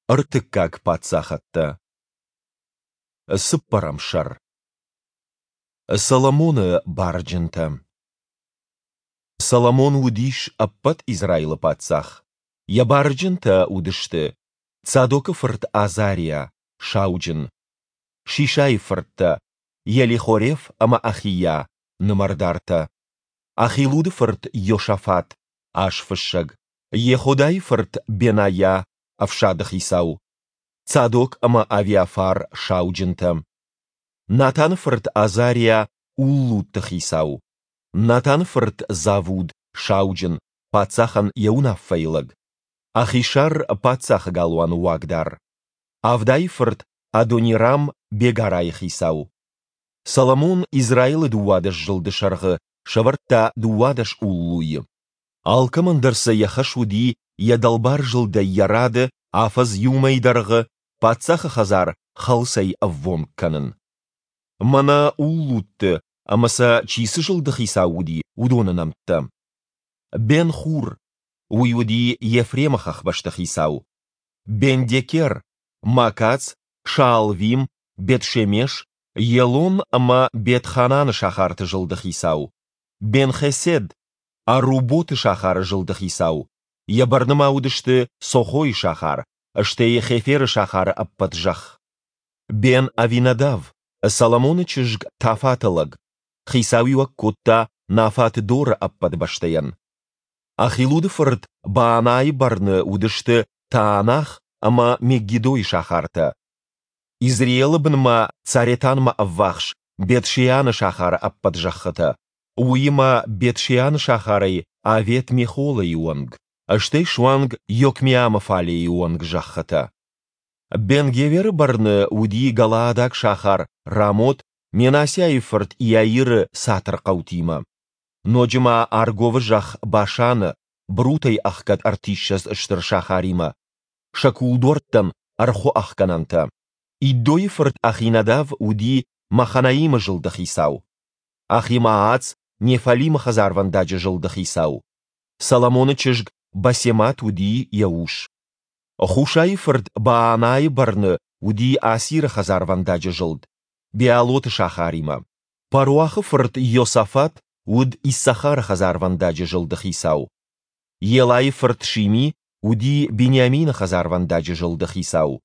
Ӕртыккаг паддзахӕдтӕ. Цыппӕрӕм сӕр. Соломоны барджынтӕ. Соломон уыдис ӕппӕт Израилы паддзах. Йӕ барджынтӕ уыдысты: Цадокы фырт Азариа, сауджын, Шишайы фырттӕ, Елихореф ӕмӕ Ахийа, нымӕрдартӕ, Ахилуды фырт Йошафат, азфыссӕг, Йеходайы фырт Бенайа, ӕфсады хицау, Цадок ӕмӕ Авиафар, сауджынтӕ, Натаны фырт Азариа, уллутты хицау, Натаны фырт Завуд, сауджын, паддзахӕн йӕ уынаффӕйы лӕг, Ахишар, паддзахы галуаны уагдар, Авдайы фырт Адонирам, бегарайы хицау. Соломон Израилы 12 зылды сӕргъы сӕвӕрдта 12 уллуйы. Алкӕмӕн дӕр сӕ йӕ хӕс уыди йӕ дӕлбар зылдӕй йӕ рады афӕдз иу мӕйы дӕргъы паддзахы хӕдзар хӕлцӕй ӕввонг кӕнын. Мӕнӕ уллутты ӕмӕ сӕ чи цы зылды хицау уыди, уыдоны нӕмттӕ. Бен-Хур, уый уыди Ефремы хӕхбӕсты хицау. Бен-Декер, Макац, Шаалвим, Бет-Шемеш, Елон ӕмӕ Бет-Хананы сахарты зылды хицау. Бен-Хесед, Аруботы сахары зылды хицау. Йӕ бӕрны ма уыдысты Сохойы сахар, стӕй Хеферы сахары ӕппӕт зӕхх. Бен-Авинадав, Соломоны чызг Тафаты лӕг, хицауиуӕг кодта Нафат Доры ӕппӕт бӕстӕйӕн. Ахилуды фырт Баанайы бӕрны уыдысты Таанах ӕмӕ Меггидойы сахартӕ. Изреелы бынмӕ Царетанмӕ ӕввахс Бет-Шеаны сахары ӕппӕт зӕххытӕ, уыимӕ Бет-Шеаны сахарӕй Авет-Мехолайы онг, стӕй суанг Йокмеамы фалейы онг зӕххытӕ. Бен-Геверы бӕрны уыди галаадаг сахар Рамот Менассиайы фырт Иаиры цатырхъӕутимӕ. Ноджы ма Арговы зӕхх Башаны, брутӕй ӕхгӕд ӕртиссӕдз стыр сахаримӕ, сӕ кулдуӕрттӕн ӕрхуы ӕхгӕнӕнтӕ. Иддойы фырт Ахинадав уыди Маханаимы зылды хицау. Ахимаац Неффалимы хӕдзарвӕндаджы зылды хицау. Соломоны чызг Басемат уыди йӕ ус. Хушайы фырт Баанайы бӕрны уыди Асиры хӕдзарвӕндаджы зылд, Беалоты сахаримӕ. Паруахы фырт Иосафат уыд Иссахары хӕдзарвӕндаджы зылды хицау. Елайы фырт Шими уыди Бениамины хӕдзарвӕндаджы зылды хицау.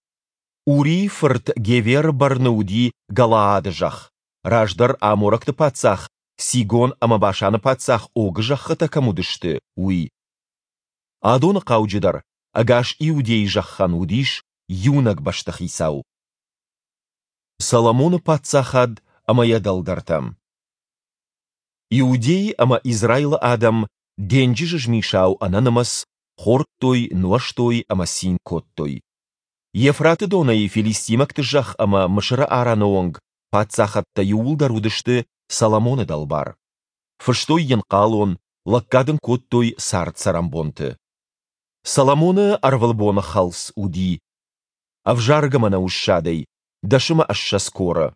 Урийы фырт Геверы бӕрны уыди Галаады зӕхх, раздӕр аморӕгты паддзах Сигон ӕмӕ Башаны паддзах Огы зӕххытӕ кӕм уыдысты, уый. Адоны хъауджыдӕр ӕгас Иудейы зӕххӕн уыдис иунӕг бӕстыхицау. Соломоны паддзахад ӕмӕ йӕ дӕлдӕртӕ. Иудей ӕмӕ Израилы адӕм денджызы змисау ӕнӕнымӕц хордтой, нуӕзтой ӕмӕ цин кодтой. Евфраты донӕй филистимӕгты зӕхх ӕмӕ Мысыры арӕны онг паддзахӕдтӕ иууылдӕр уыдысты Соломоны дӕлбар. Фыстой йын хъалон, лӕггад ын кодтой цард-цӕрӕнбонты. Соломоны ӕрвылбоны хӕлц уыди ӕвзаргӕ мӕнӕуы ссадӕй 20 коры,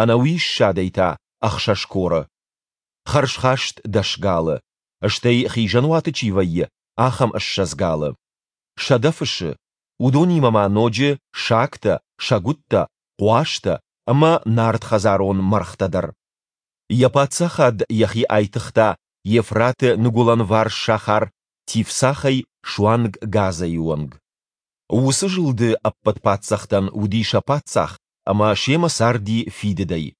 ӕнӕуи ссадӕй та 6 коры, хӕрзхаст 10 галы, стӕй хизӕнуаты чи вӕййы, ахӕм 20 галы, 100 фысы, уыдонимӕ ма ноджы сагтӕ, сӕгуыттӕ, хъуазтӕ ӕмӕ нард хӕдзарон мӕргътӕ дӕр. Йӕ паддзахад йӕхи айтыгъта Евфраты ныгуылӕнварс сахар Тифсахӕй суанг Газӕйы онг. Уыцы зылды ӕппӕт паддзӕхтӕн уыди сӕ паддзах ӕмӕ семӕ царди фидыдӕй.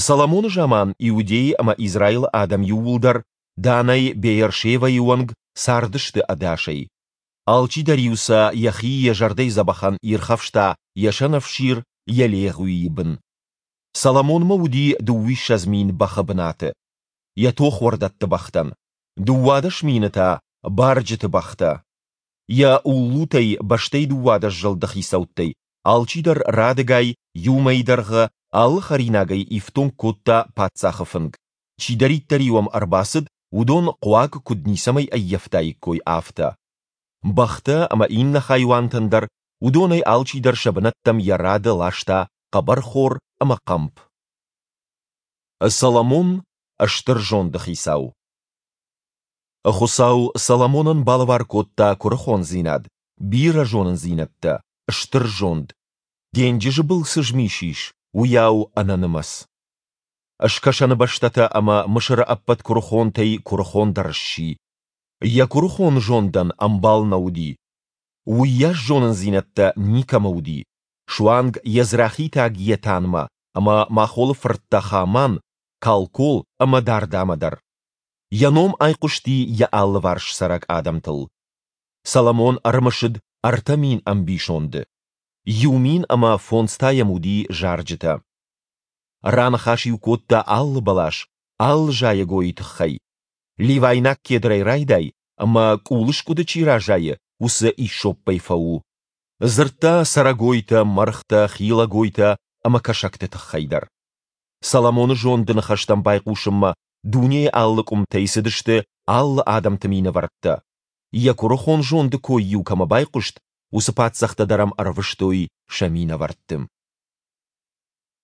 Соломоны заман Иудейы ӕмӕ Израилы адӕм иууылдӕр Данӕй Беершевӕйы онг цардысты ӕдасӕй. Алчидӕр-иу сӕ йӕхи йӕ зӕрдӕйы дзӕбӕхӕн ирхӕфста йӕ сӕнӕфсир, йӕ легъуийы бын. Соломонмӕ уыди 22 000 бӕхы бынаты, йӕ тохуӕрдӕтты бӕхтӕн, 12 000 та барджыты бӕхтӕ. Йӕ уллутӕй бӕстӕй 12 зылды хицӕуттӕй алчидӕр радыгай иу мӕйы дӕргъы алы хӕринагӕй ифтонг кодта паддзахы фынг, чидӕриддӕр-иу ӕм ӕрбацыд, уыдон хъуаг куыд ницӕмӕй ӕййӕфтаиккой, афтӕ. Бӕхтӕ ӕмӕ иннӕ хайуантӕн дӕр уыдонӕй алчидӕр сӕ бынӕттӕм йӕ рады ласта хъӕбӕрхор ӕмӕ хъӕмп. Соломон стыр зонды хицау. Хуыцау Соломонӕн балӕвар кодта куырыхондзинад. бирӕ зонындзинӕдтӕ, стыр зонд, денджызы был цы змис ис, уыйау ӕнӕнымӕц. Скӕсӕны бӕстӕтӕ ӕмӕ Мысыры ӕппӕт куырыхонтӕй куырыхондӕр сси. Йӕ куырыхон зондӕн ӕмбал нӕ уыди. Уыйас зонындзинӕдтӕ никӕмӕ уыди, суанг езрахитаг Етанмӕ ӕмӕ Махолы фырттӕ Хаман, Калкол ӕмӕ Дардамӕ дӕр. Йӕ ном айхъуысти йӕ алыварс цӕрӕг адӕмтыл. Соломон ӕрымысыд 3000 ӕмбисонды. 1005 та йӕм уыди зарджытӕ. Раныхас-иу кодта алы бӕлас, алы зайӕгойы тыххӕй. Ливайнаг кедрӕй райдай ӕмӕ къулы скъуыды чи разайы, уыцы иссоппӕй фӕу. Дзырдта цӕрӕгойтӕ, мӕргътӕ, хилӕгойтӕ ӕмӕ кӕсӕгты тыххӕй дӕр. Соломоны зонды ныхӕстӕм байхъусынмӕ дунейы алы къуымтӕй цыдысты алы адӕмты минӕвӕрттӕ. Йӕ куырыхон зонды кой-иу кӕмӕ байхъуыст, уыцы паддзӕхтӕ дӕр ӕм ӕрвыстой сӕ минӕвӕртты.